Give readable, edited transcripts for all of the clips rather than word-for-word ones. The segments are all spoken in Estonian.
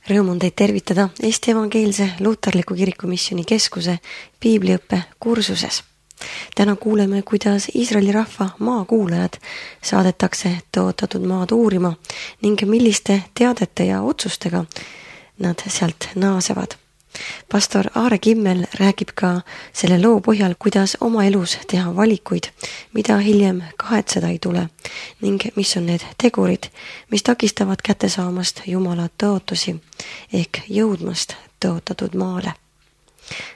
Rõõm on teid tervitada Eesti Evangeelse Luterliku Kirikumisjoni Keskuse piibliõppe kursuses. Täna kuuleme, kuidas Iisraeli rahva maakuulajad saadetakse tõotatud maad uurima ning milliste teadete ja otsustega nad sealt naasevad. Pastor Aare Kimmel räägib ka selle loo põhjal, kuidas oma elus teha valikuid, mida hiljem kahetseda ei tule ning mis on need tegurid, mis takistavad kätte saamast Jumala tõotusi ehk jõudmast tõotatud maale.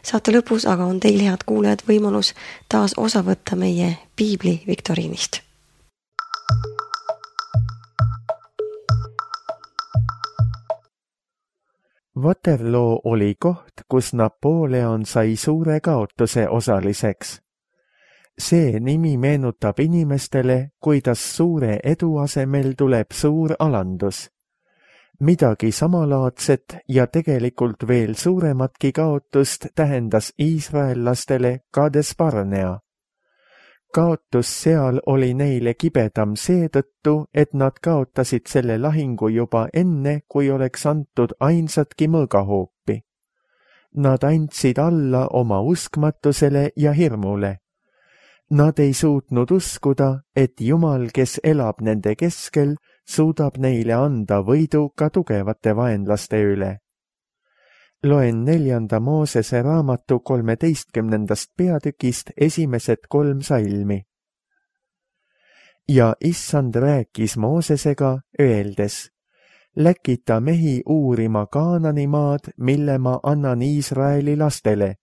Saate lõpus aga on teil, head kuulajad, võimalus taas osa võtta meie piibli viktoriinist. Waterloo oli koht, kus Napoleon sai suure kaotuse osaliseks. See nimi meenutab inimestele, kuidas suure edu asemel tuleb suur alandus. Midagi samalaadset ja tegelikult veel suurematki kaotust tähendas iisraellastele Kades Barnea. Kaotus seal oli neile kibedam seetõttu, et nad kaotasid selle lahingu juba enne, kui oleks antud ainsatki mõõgahoopi. Nad andsid alla oma uskmatusele ja hirmule. Nad ei suutnud uskuda, et Jumal, kes elab nende keskel, suudab neile anda võidu ka tugevate vaenlaste üle. Loen 4. Moosese raamatu 13. peatükist esimesed 3 salmi. Ja Issand rääkis Moosesega, öeldes: läkita mehi uurima Kaanani maad, mille ma annan Iisraeli lastele.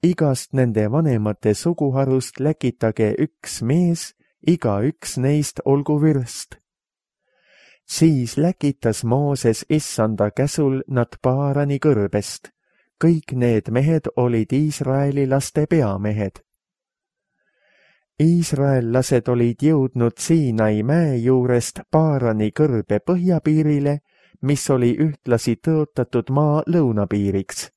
Igast nende vanemate suguharust läkitage 1 mees, igaüks neist olgu vürst. Siis läkitas Mooses Issanda käsul nad Paarani kõrbest. Kõik need mehed olid Iisraeli laste peamehed. Iisraellased olid jõudnud Siinai mäe juurest Paarani kõrbe põhjapiirile, mis oli ühtlasi tõotatud maa lõunapiiriks.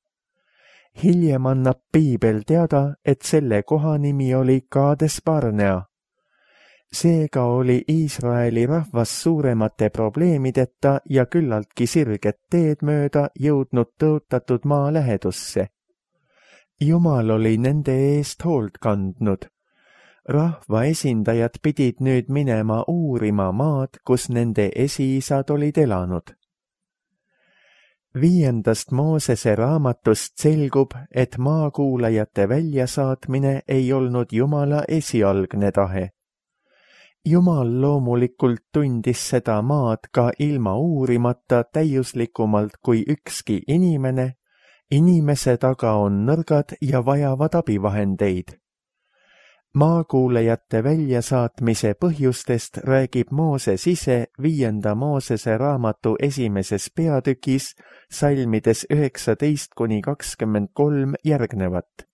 Hiljem annab piibel teada, et selle koha nimi oli Kades Barnea. Seega oli Iisraeli rahvas suuremate probleemideta ja küllaltki sirget teed mööda jõudnud tõotatud maa lähedusse. Jumal oli nende eest hoolt kandnud. Rahva esindajad pidid nüüd minema uurima maad, kus nende esiisad olid elanud. 5. Moosese raamatust selgub, et maakuulajate väljasaatmine ei olnud Jumala esialgne tahe. Jumal loomulikult tundis seda maad ka ilma uurimata täiuslikumalt kui ükski inimene. Inimese taga on nõrgad ja vajavad abivahendeid. Maakuulajate väljasaatmise põhjustest räägib Mooses ise 5. Moosese raamatu 1. peatükis salmides 19-23 järgnevat.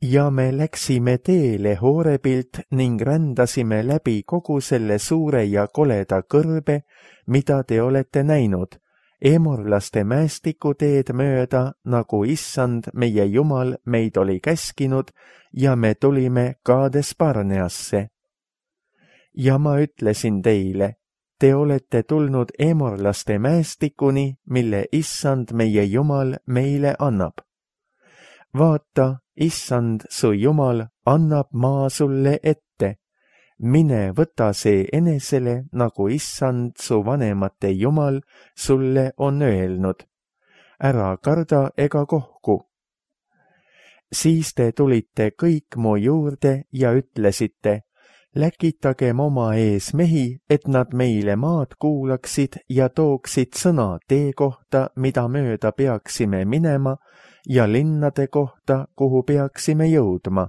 Ja me läksime teele Horebilt ning rändasime läbi kogu selle suure ja koleda kõrbe, mida te olete näinud, Emorlaste mäestiku teed mööda, nagu Issand meie Jumal meid oli käskinud, ja me tulime Kades Barneasse. Ja ma ütlesin teile, te olete tulnud Emorlaste mäestikuni, mille Issand meie Jumal meile annab. Vaata, Issand su Jumal annab maa sulle ette. Mine võta see enesele, nagu Issand su vanemate Jumal sulle on öelnud. Ära karda ega kohku. Siis te tulite kõik mu juurde ja ütlesite: läkitagem oma ees mehi, et nad meile maad kuulaksid ja tooksid sõna tee kohta, mida mööda peaksime minema, ja linnade kohta, kuhu peaksime jõudma.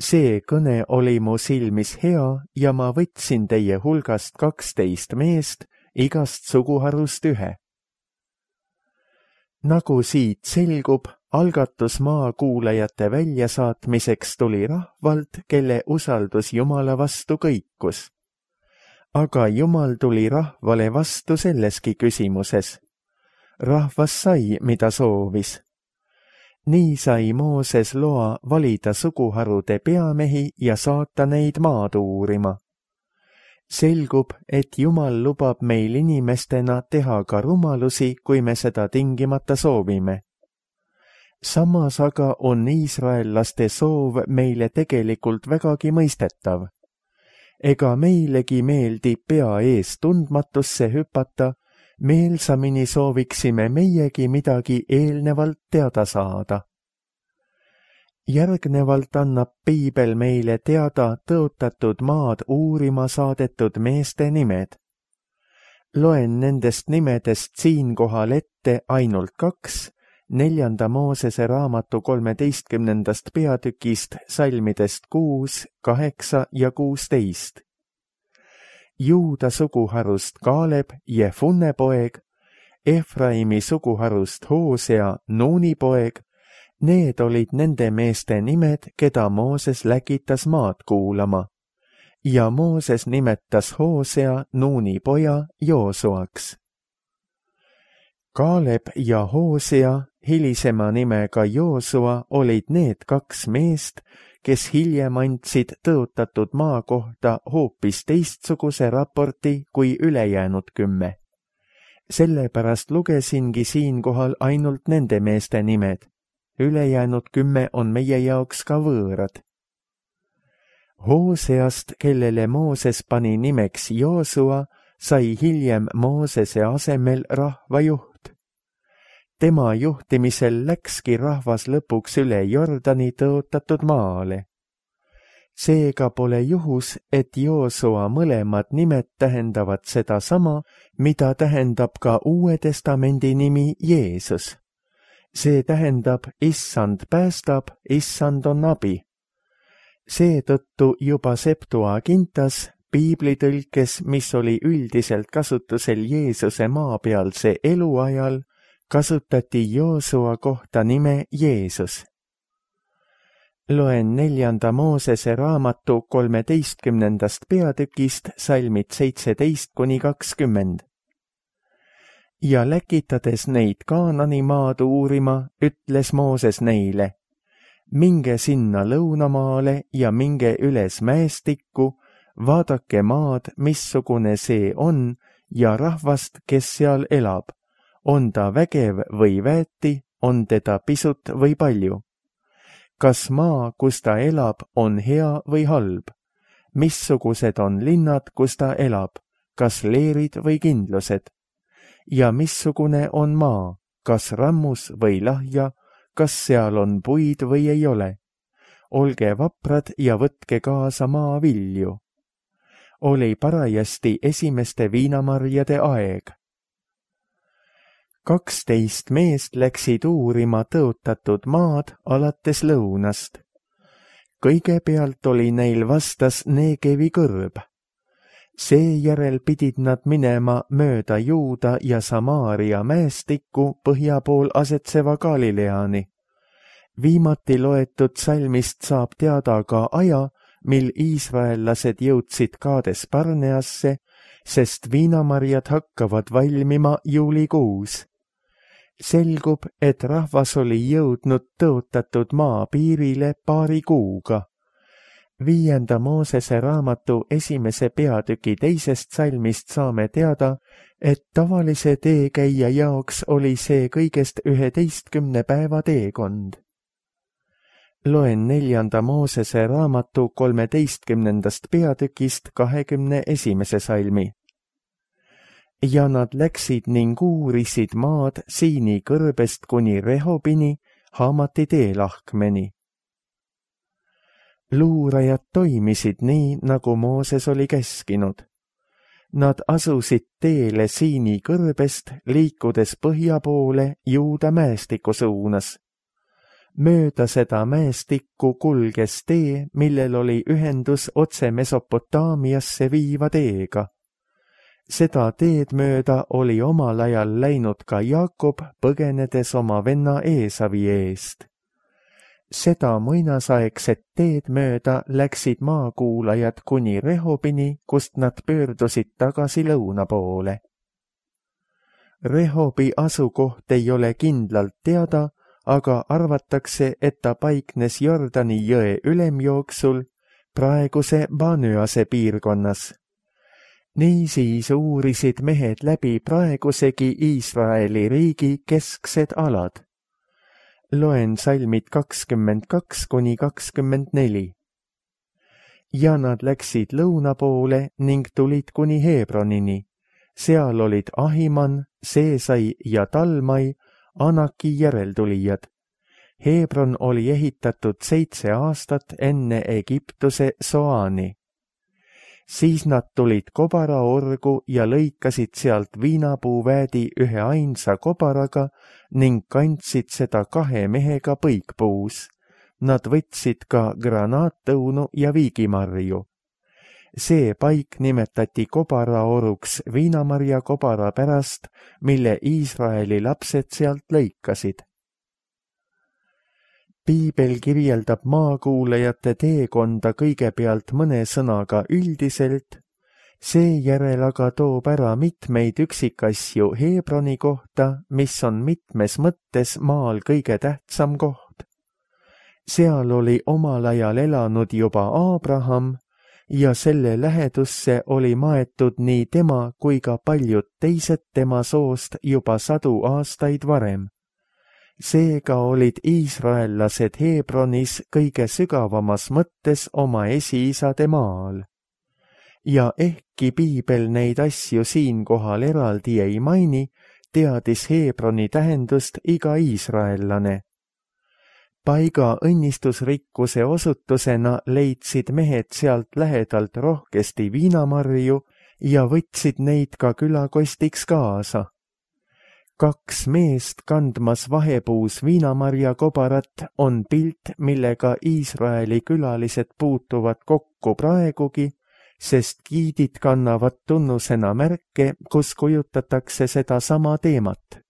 See kõne oli mu silmis hea ja ma võtsin teie hulgast 12 meest, igast suguharust 1. Nagu siit selgub, algatus maakuulajate väljasaatmiseks tuli rahvalt, kelle usaldus Jumala vastu kõikus. Aga Jumal tuli rahvale vastu selleski küsimuses. Rahvas sai, mida soovis. Nii sai Mooses loa valida suguharude peamehi ja saata neid maad uurima. Selgub, et Jumal lubab meil inimestena teha ka rumalusi, kui me seda tingimata soovime. Samas aga on iisraellaste soov meile tegelikult vägagi mõistetav. Ega meilegi meeldib pea ees tundmatusse hüpata, meelsamini sooviksime meiegi midagi eelnevalt teada saada. Järgnevalt annab piibel meile teada tõotatud maad uurima saadetud meeste nimed. Loen nendest nimedest siinkohal ette ainult 2, 4. Moosese raamatu 13. peatükist salmidest 6, 8 ja 16. Juuda suguharust Kaaleb, Jefunne poeg, Efraimi suguharust Hoosea, Nuuni poeg. Need olid nende meeste nimed, keda Mooses läkitas maad kuulama. Ja Mooses nimetas Hoosea, Nuuni poja, Joosuaks. Kaaleb ja Hoosea, hilisema nimega Joosua, olid need 2 meest, kes hiljem andsid tõotatud maa kohta hoopis teistsuguse raporti kui ülejäänud 10. Sellepärast lugesingi siinkohal ainult nende meeste nimed. Ülejäänud 10 on meie jaoks ka võõrad. Hooseast, kellele Mooses pani nimeks Joosua, sai hiljem Moosese asemel rahvajuht. Tema juhtimisel läkski rahvas lõpuks üle Jordani tõotatud maale. Seega pole juhus, et Joosua mõlemad nimed tähendavad sedasama, mida tähendab ka Uue Testamendi nimi Jeesus. See tähendab, issand päästab, issand on abi. Seetõttu juba Septuagintas, piiblitõlkes, mis oli üldiselt kasutusel Jeesuse maapealse eluajal, kasutati Joosua kohta nime Jeesus. Loen 4. Moosese raamatu 13. peatükist salmid 17–20. Ja läkitades neid Kaanani maad uurima, ütles Mooses neile, minge sinna lõunamaale ja minge üles mäestikku, vaadake maad, missugune see on, ja rahvast, kes seal elab, on ta vägev või väeti, on teda pisut või palju. Kas maa, kus ta elab, on hea või halb? Missugused on linnad, kus ta elab, kas leerid või kindlused? Ja missugune on maa, kas rammus või lahja, kas seal on puid või ei ole? Olge vaprad ja võtke kaasa maavilju. Oli parajasti esimeste viinamarjade aeg. 12 meest läksid uurima tõotatud maad alates lõunast. Kõigepealt oli neil vastas Negevi kõrb. Seejärel pidid nad minema mööda Juuda ja Samaaria mäestikku põhja pool asetseva Galileani. Viimati loetud salmist saab teada ka aja, mil iisraellased jõudsid Kaades Barneasse, sest viinamarjad hakkavad valmima juulikuus. Selgub, et rahvas oli jõudnud tõotatud maa piirile paari kuuga. 5. Moosese raamatu 1. peatüki 2. salmist saame teada, et tavalise teekäija jaoks oli see kõigest 11 päeva teekond. Loen 4. Moosese raamatu 13. peatükist 21. salmi. Ja nad läksid ning uurisid maad Siini kõrbest kuni Rehobini, Haamati teelahkmeni. Luurajad toimisid nii, nagu Mooses oli käskinud. Nad asusid teele Siini kõrbest, liikudes põhja poole Juuda mäestiku suunas. Mööda seda mäestikku kulges tee, millel oli ühendus otse Mesopotaamiasse viiva teega. Seda teed mööda oli omal ajal läinud ka Jaakob, põgenedes oma venna Eesavi eest. Seda muinasaegset teed mööda läksid maakuulajad kuni Rehobini, kust nad pöördusid tagasi lõuna poole. Rehobi asukoht ei ole kindlalt teada, aga arvatakse, et ta paiknes Jordani jõe ülemjooksul praeguse Banöase piirkonnas. Niisiis uurisid mehed läbi praegusegi Iisraeli riigi kesksed alad. Loen salmid 22–24. Ja nad läksid lõuna poole ning tulid kuni Hebronini. Seal olid Ahiman, Seesai ja Talmai, Anaki järeltulijad. Hebron oli ehitatud 7 aastat enne Egiptuse Soani. Siis nad tulid kobaraorgu ja lõikasid sealt viinapuuväädi ühe ainsa kobaraga ning kandsid seda 2 mehega põikpuus. Nad võtsid ka granaattõunu ja viigimarju. See paik nimetati kobaraoruks viinamarja kobara pärast, mille Iisraeli lapsed sealt lõikasid. Piibel kirjeldab maakuulajate teekonda kõigepealt mõne sõnaga üldiselt, seejärel aga toob ära mitmeid üksikasju Hebroni kohta, mis on mitmes mõttes maal kõige tähtsam koht. Seal oli omal ajal elanud juba Abraham ja selle lähedusse oli maetud nii tema kui ka paljud teised tema soost juba 100 aastaid varem. Seega olid iisraellased Hebronis kõige sügavamas mõttes oma esiisade maal. Ja ehkki piibel neid asju siinkohal eraldi ei maini, teadis Hebroni tähendust iga iisraellane. Paiga õnnistusrikkuse osutusena leidsid mehed sealt lähedalt rohkesti viinamarju ja võtsid neid ka külakostiks kaasa. 2 meest kandmas vahepuus viinamarja kobarat on pilt, millega Iisraeli külalised puutuvad kokku praegugi, sest giidid kannavad tunnusena märke, kus kujutatakse seda sama teemat.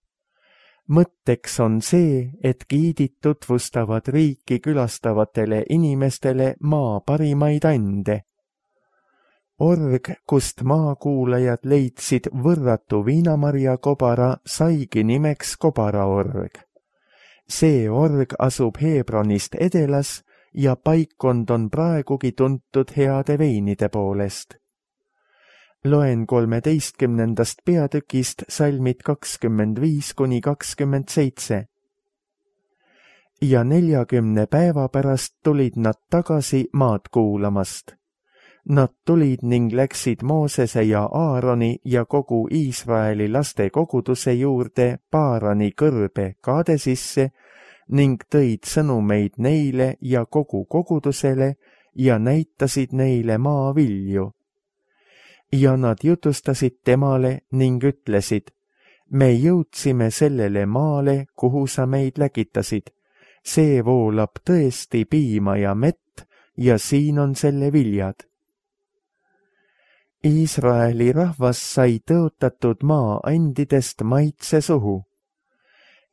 Mõtteks on see, et giidid tutvustavad riiki külastavatele inimestele maa parimaid ande. Org, kust maakuulajad leidsid võrratu viinamarja kobara, saigi nimeks kobaraorg. See org asub Hebronist edelas ja paikkond on praegugi tuntud heade veinide poolest. Loen 13. peatükist salmid 25–27. Ja 40 päeva pärast tulid nad tagasi maad kuulamast. Nad tulid ning läksid Moosese ja Aaroni ja kogu Iisraeli laste koguduse juurde Paarani kõrbe Kaadesisse ning tõid sõnumeid neile ja kogu kogudusele ja näitasid neile maavilju. Ja nad jutustasid temale ning ütlesid, me jõudsime sellele maale, kuhu sa meid läkitasid. See voolab tõesti piima ja mett ja siin on selle viljad. Iisraeli rahvas sai tõotatud maa andidest maitse suhu.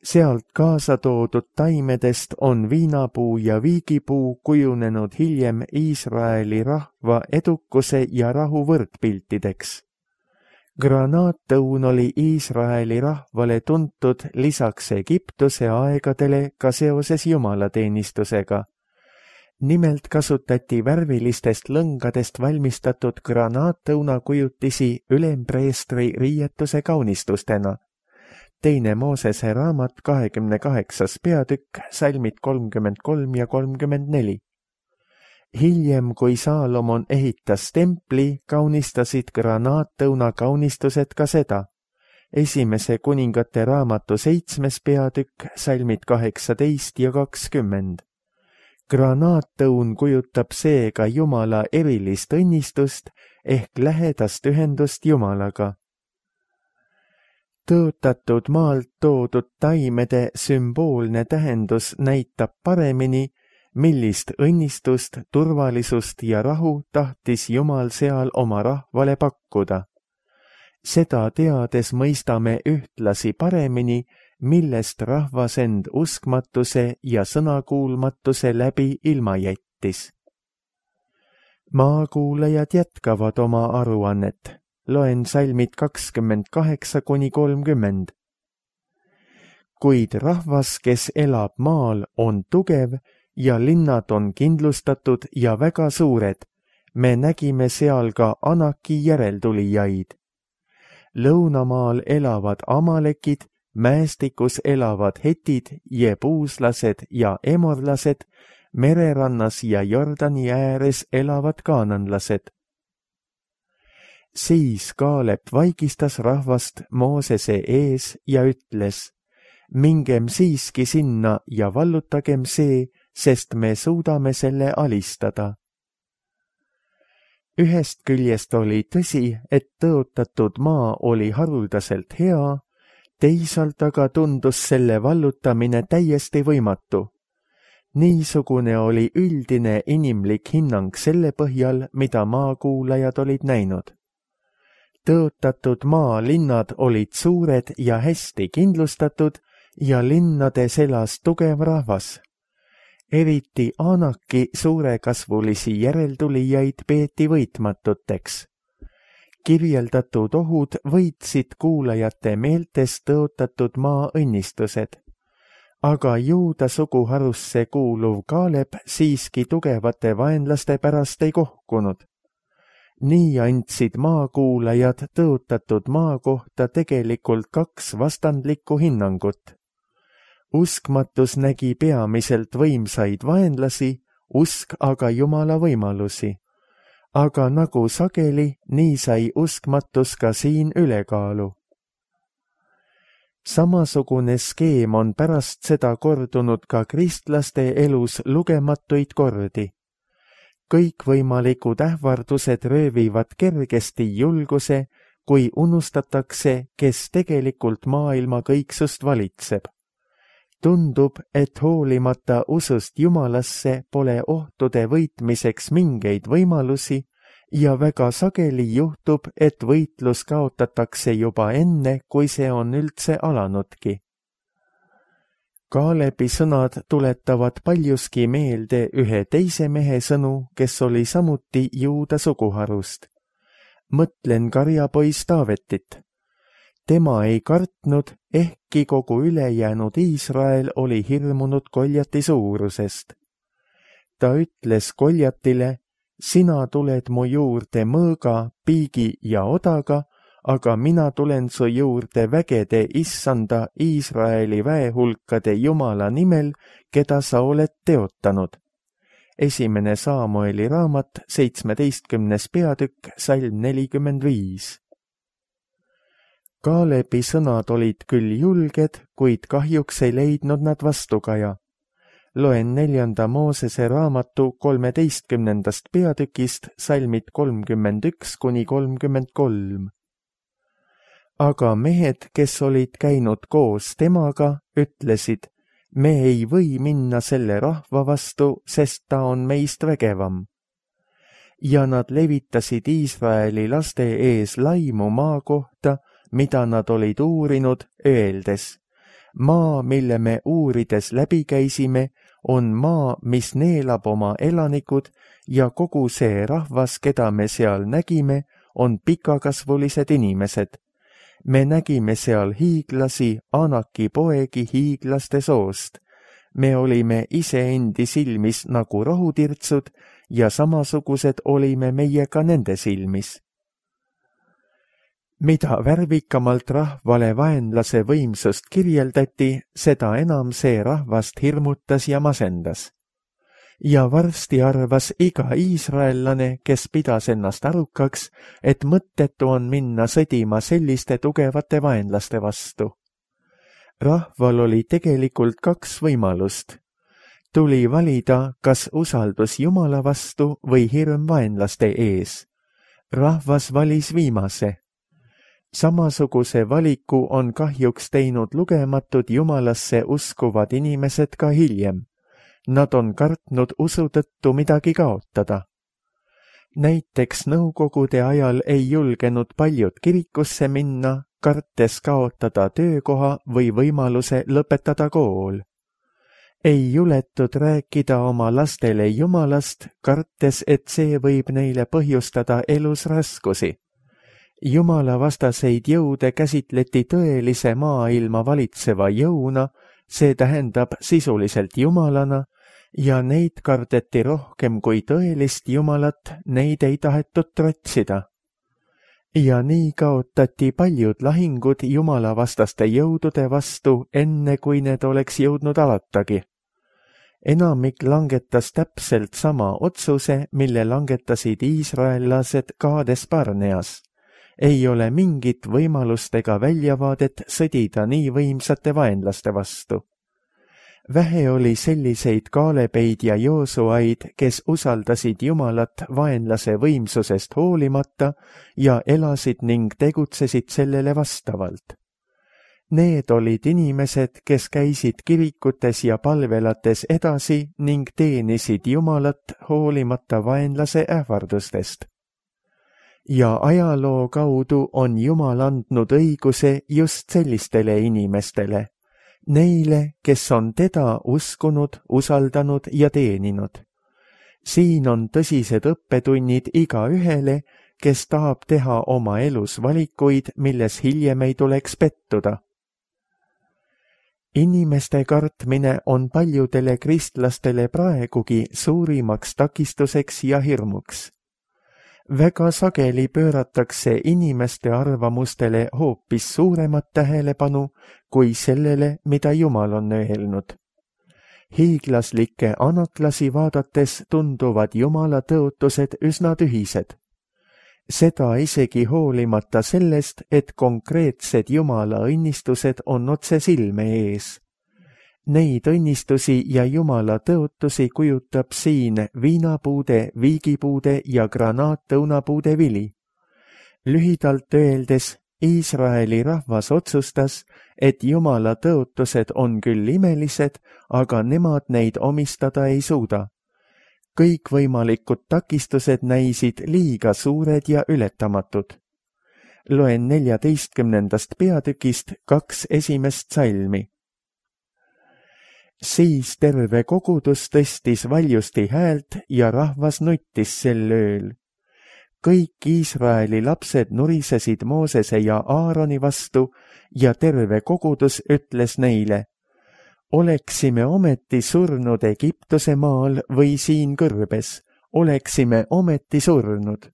Sealt kaasa toodud taimedest on viinapuu ja viigipuu kujunenud hiljem Iisraeli rahva edukuse ja rahu võrdpiltideks. Granaattõun oli Iisraeli rahvale tuntud lisaks Egiptuse aegadele ka seoses jumalateenistusega. Nimelt kasutati värvilistest lõngadest valmistatud granaattõuna kujutisi ülempreestri riietuse kaunistustena. 2. Moosese raamat 28. peatükk, salmid 33 ja 34. Hiljem, kui Saalomon ehitas templi, kaunistasid granaattõuna kaunistused ka seda. 1. kuningate raamatu 7. peatükk, salmid 18 ja 20. Granaattõun kujutab seega Jumala erilist õnnistust ehk lähedast ühendust Jumalaga. Tõotatud maalt toodud taimede sümboolne tähendus näitab paremini, millist õnnistust, turvalisust ja rahu tahtis Jumal seal oma rahvale pakkuda. Seda teades mõistame ühtlasi paremini, millest rahvas end uskmatuse ja sõnakuulmatuse läbi ilma jättis. Maakuulajad jätkavad oma aruannet. Loen salmid 28–30. Kuid rahvas, kes elab maal, on tugev ja linnad on kindlustatud ja väga suured. Me nägime seal ka Anaki järeltulijaid. Lõunamaal elavad amalekid, mäestikus elavad hetid, jebuuslased ja emorlased, mererannas ja Jordani ääres elavad kaananlased. Siis Kaalep vaigistas rahvast Moosese ees ja ütles, mingem siiski sinna ja vallutagem see, sest me suudame selle alistada. Ühest küljest oli tõsi, et tõotatud maa oli haruldaselt hea, teisalt aga tundus selle vallutamine täiesti võimatu. Niisugune oli üldine inimlik hinnang selle põhjal, mida maakuulajad olid näinud. Tõotatud maa linnad olid suured ja hästi kindlustatud ja linnades elas tugev rahvas. Eriti Anaki suurekasvulisi järeltulijaid peeti võitmatuteks. Kirjeldatud ohud võitsid kuulajate meeltes tõotatud maa õnnistused. Aga Juuda suguharusse kuuluv Kaalep siiski tugevate vaenlaste pärast ei kohkunud. Nii andsid maakuulajad tõotatud maa kohta tegelikult kaks vastandlikku hinnangut. Uskmatus nägi peamiselt võimsaid vaenlasi, usk aga Jumala võimalusi. Aga nagu sageli, nii sai uskmatus ka siin ülekaalu. Samasugune skeem on pärast seda kordunud ka kristlaste elus lugematuid kordi. Kõikvõimalikud ähvardused röövivad kergesti julguse, kui unustatakse, kes tegelikult maailma kõiksust valitseb. Tundub, et hoolimata usust Jumalasse pole ohtude võitmiseks mingeid võimalusi ja väga sageli juhtub, et võitlus kaotatakse juba enne, kui see on üldse alanudki. Kaalebi sõnad tuletavad paljuski meelde ühe teise mehe sõnu, kes oli samuti Juuda suguharust. Mõtlen karjapoiss Taavetit. Tema ei kartnud, ehkki kogu ülejäänud Iisrael oli hirmunud Goljati suurusest. Ta ütles Goljatile, sina tuled mu juurde mõõga, piigi ja odaga, aga mina tulen su juurde vägede issanda Iisraeli väehulkade Jumala nimel, keda sa oled teotanud. 1. Saamueli raamat, 17. peatükk, salm 45. Kaalebi sõnad olid küll julged, kuid kahjuks ei leidnud nad vastukaja. Loen 4. Moosese raamatu 13. peatükist salmid 31–33. Aga mehed, kes olid käinud koos temaga, ütlesid, me ei või minna selle rahva vastu, sest ta on meist vägevam. Ja nad levitasid Iisraeli laste ees laimu maa kohta, mida nad olid uurinud, öeldes, maa, mille me uurides läbi käisime, on maa, mis neelab oma elanikud ja kogu see rahvas, keda me seal nägime, on pikakasvulised inimesed. Me nägime seal hiiglasi, Anaki poegi hiiglaste soost. Me olime iseendi silmis nagu rohutirtsud ja samasugused olime meie ka nende silmis. Mida värvikamalt rahvale vaenlase võimsust kirjeldati, seda enam see rahvast hirmutas ja masendas. Ja varsti arvas iga iisraellane, kes pidas ennast arukaks, et mõttetu on minna sõdima selliste tugevate vaenlaste vastu. Rahval oli tegelikult kaks võimalust. Tuli valida, kas usaldus Jumala vastu või hirm vaenlaste ees. Rahvas valis viimase. Samasuguse valiku on kahjuks teinud lugematud Jumalasse uskuvad inimesed ka hiljem. Nad on kartnud usu tõttu midagi kaotada. Näiteks nõukogude ajal ei julgenud paljud kirikusse minna, kartes kaotada töökoha või võimaluse lõpetada kool. Ei juletud rääkida oma lastele Jumalast, kartes, et see võib neile põhjustada elus raskusi. Jumala vastaseid jõude käsitleti tõelise maailma valitseva jõuna, see tähendab sisuliselt Jumalana, ja neid kardeti rohkem kui tõelist Jumalat, neid ei tahetud trotsida. Ja nii kaotati paljud lahingud jumalavastaste jõudude vastu, enne kui need oleks jõudnud alatagi. Enamik langetas täpselt sama otsuse, mille langetasid iisraellased Kaades Barneas. Ei ole mingit võimalust ega väljavaadet sõdida nii võimsate vaenlaste vastu. Vähe oli selliseid Kaalebeid ja Joosuaid, kes usaldasid Jumalat vaenlase võimsusest hoolimata ja elasid ning tegutsesid sellele vastavalt. Need olid inimesed, kes käisid kirikutes ja palvelates edasi ning teenisid Jumalat hoolimata vaenlase ähvardustest. Ja ajaloo kaudu on Jumal andnud õiguse just sellistele inimestele, neile, kes on teda uskunud, usaldanud ja teeninud. Siin on tõsised õppetunnid igaühele, kes tahab teha oma elus valikuid, milles hiljem ei tuleks pettuda. Inimeste kartmine on paljudele kristlastele praegugi suurimaks takistuseks ja hirmuks. Väga sageli pööratakse inimeste arvamustele hoopis suuremat tähelepanu kui sellele, mida Jumal on öelnud. Hiiglaslikke anaklasi vaadates tunduvad Jumala tõotused üsna tühised. Seda isegi hoolimata sellest, et konkreetsed Jumala õnnistused on otse silme ees. Neid õnnistusi ja Jumala tõotusi kujutab siin viinapuude, viigipuude ja granaatõunapuude vili. Lühidalt öeldes, Iisraeli rahvas otsustas, et Jumala tõotused on küll imelised, aga nemad neid omistada ei suuda. Kõikvõimalikud takistused näisid liiga suured ja ületamatud. Loen 14. peatükist 2 esimest salmi. Siis terve kogudus tõstis valjusti häält ja rahvas nuttis sel ööl. Kõik Iisraeli lapsed nurisesid Moosese ja Aaroni vastu ja terve kogudus ütles neile: oleksime ometi surnud Egiptuse maal või siin kõrbes, oleksime ometi surnud.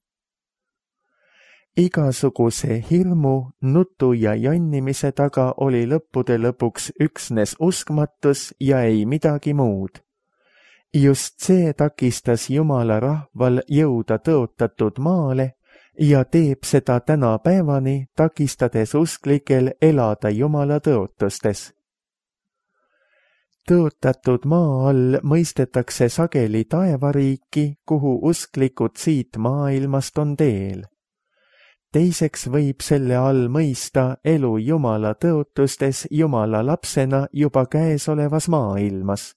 Igasuguse hirmu, nutu ja jonnimise taga oli lõppude lõpuks üksnes uskmatus ja ei midagi muud. Just see takistas Jumala rahval jõuda tõotatud maale ja teeb seda tänapäevani, takistades usklikel elada Jumala tõotustes. Tõotatud maa all mõistetakse sageli taevariiki, kuhu usklikud siit maailmast on teel. Teiseks võib selle all mõista elu Jumala tõotustes Jumala lapsena juba käesolevas maailmas.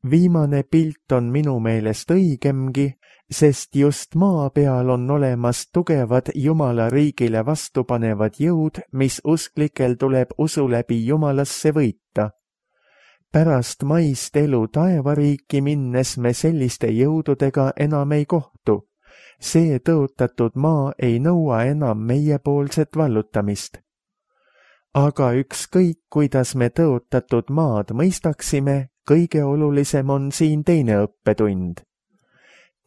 Viimane pilt on minu meelest õigemgi, sest just maa peal on olemas tugevad Jumala riigile vastupanevad jõud, mis usklikel tuleb usu läbi Jumalasse võita. Pärast maist elu taevariiki minnes me selliste jõududega enam ei kohtu. See tõotatud maa ei nõua enam meiepoolset vallutamist. Aga ükskõik, kuidas me tõotatud maad mõistaksime, kõige olulisem on siin teine õppetund.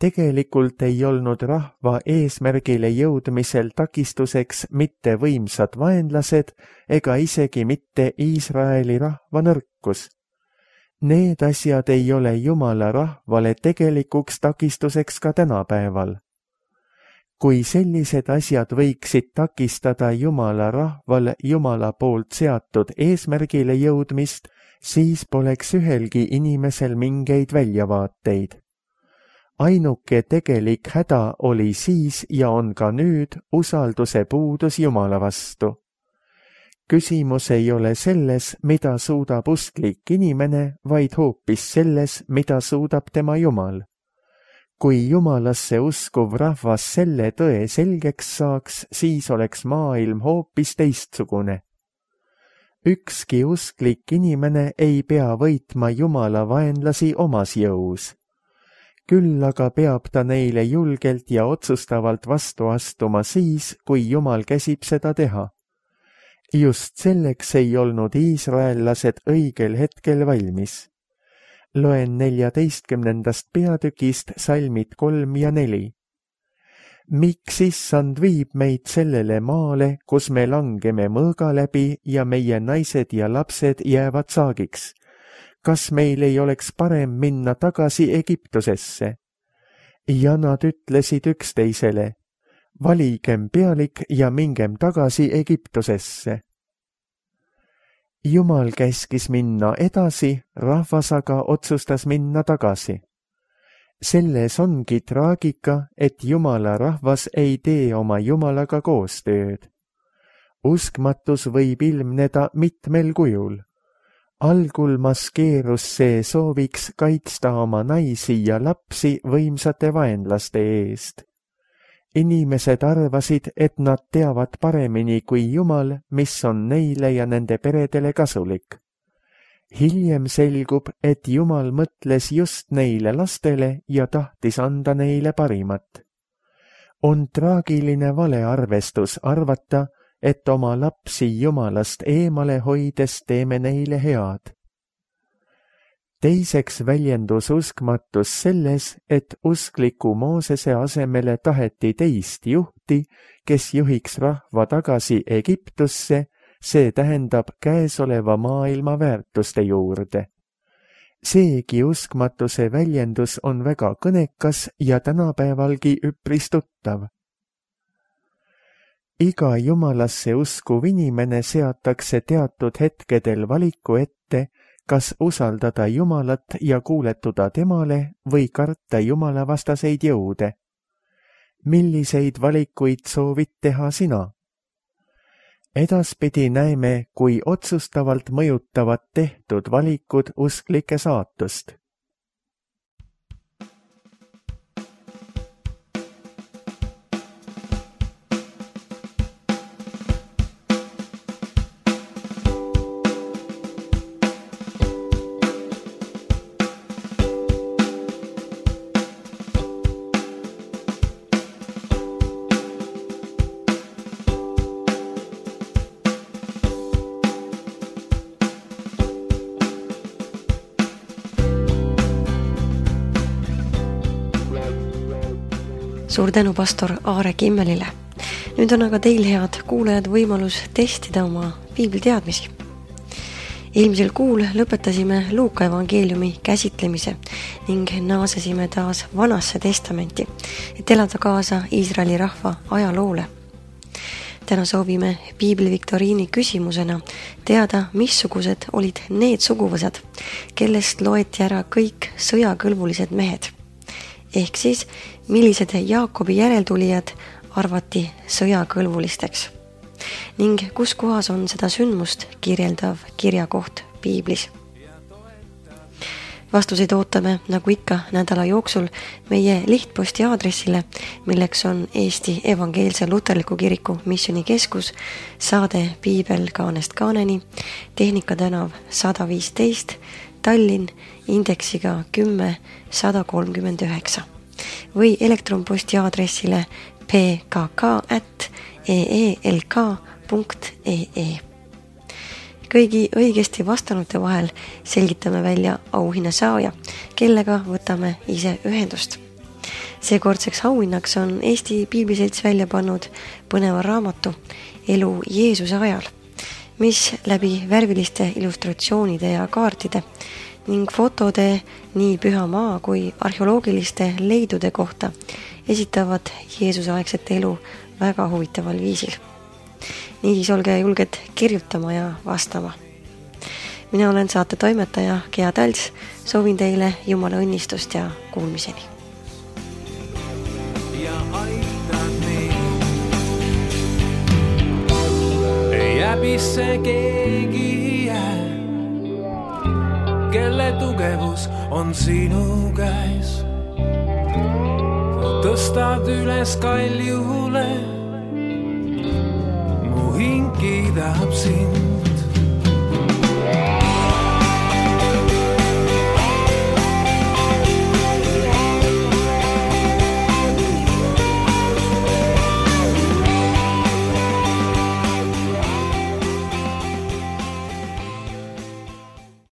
Tegelikult ei olnud rahva eesmärgile jõudmisel takistuseks mitte võimsad vaenlased ega isegi mitte Iisraeli rahva nõrkus. Need asjad ei ole Jumala rahvale tegelikuks takistuseks ka tänapäeval. Kui sellised asjad võiksid takistada Jumala rahval Jumala poolt seatud eesmärgile jõudmist, siis poleks ühelgi inimesel mingeid väljavaateid. Ainuke tegelik häda oli siis ja on ka nüüd usalduse puudus Jumala vastu. Küsimus ei ole selles, mida suudab usklik inimene, vaid hoopis selles, mida suudab tema Jumal. Kui Jumalasse uskuv rahvas selle tõe selgeks saaks, siis oleks maailm hoopis teistsugune. Ükski usklik inimene ei pea võitma Jumala vaenlasi omas jõus. Küll aga peab ta neile julgelt ja otsustavalt vastu astuma siis, kui Jumal käsib seda teha. Just selleks ei olnud iisraellased õigel hetkel valmis. Loen 14. peatükist salmid 3 ja 4. Miks issand viib meid sellele maale, kus me langeme mõõga läbi ja meie naised ja lapsed jäävad saagiks? Kas meil ei oleks parem minna tagasi Egiptusesse? Ja nad ütlesid üksteisele, valigem pealik ja mingem tagasi Egiptusesse. Jumal käskis minna edasi, rahvas aga otsustas minna tagasi. Selles ongi traagika, et Jumala rahvas ei tee oma Jumalaga koostööd. Uskmatus võib ilmneda mitmel kujul. Algul maskeerus see sooviks kaitsta oma naisi ja lapsi võimsate vaenlaste eest. Inimesed arvasid, et nad teavad paremini kui Jumal, mis on neile ja nende peredele kasulik. Hiljem selgub, et Jumal mõtles just neile lastele ja tahtis anda neile parimat. On traagiline valearvestus arvata, et oma lapsi Jumalast eemale hoides teeme neile head. Teiseks väljendus uskmatus selles, et uskliku Moosese asemele taheti teist juhti, kes juhiks rahva tagasi Egiptusse, see tähendab käesoleva maailma väärtuste juurde. Seegi uskmatuse väljendus on väga kõnekas ja tänapäevalgi üpris tuttav. Iga Jumalasse uskuv inimene seatakse teatud hetkedel valiku ette, kas usaldada Jumalat ja kuuletuda temale või karta Jumala vastaseid jõude. Milliseid valikuid soovid teha sina? Edaspidi näeme, kui otsustavalt mõjutavad tehtud valikud usklike saatust. Suur tänu pastor Aare Kimmelile. Nüüd on aga teil, head kuulajad, võimalus testida oma piibliteadmisi. Eelmisel kuul lõpetasime Luuka evangeeliumi käsitlemise ning naasesime taas Vanasse testamenti, et elada kaasa Iisraeli rahva ajaloole. Täna soovime piibliviktoriini küsimusena teada, missugused olid need suguvõsad, kellest loeti ära kõik sõjakõlbulised mehed. Ehk siis, millised Jaakobi järeltulijad arvati sõjakõlbulisteks ning kus kohas on seda sündmust kirjeldav kirjakoht piiblis. Vastuseid ootame nagu ikka nädala jooksul meie lihtposti aadressile, milleks on Eesti Evangeelse Luterliku Kiriku Missioonikeskus, saade Piibel kaanest kaaneni, Tehnika tänav 115, Tallinn, indeksiga 10-139 või elektronposti aadressile pkk@eelk.ee. Kõigi õigesti vastanute vahel selgitame välja auhinna saaja, kellega võtame ise ühendust. Seekordseks auhinnaks on Eesti Piibliselts välja pannud põneva raamatu Elu Jeesuse ajal, mis läbi värviliste illustratsioonide ja kaartide ning fotode nii Püha Maa kui arheoloogiliste leidude kohta esitavad Jeesuse aegset elu väga huvitaval viisil. Niisiis olge julged kirjutama ja vastama. Mina olen saate toimetaja Gea Talts, soovin teile Jumala õnnistust ja kuulmiseni. Ja aitad neid. Ei häbisse keegi jää, kelle tugevus on sinu käes. Tõstad üles kaljule, mu hing kiidab sind.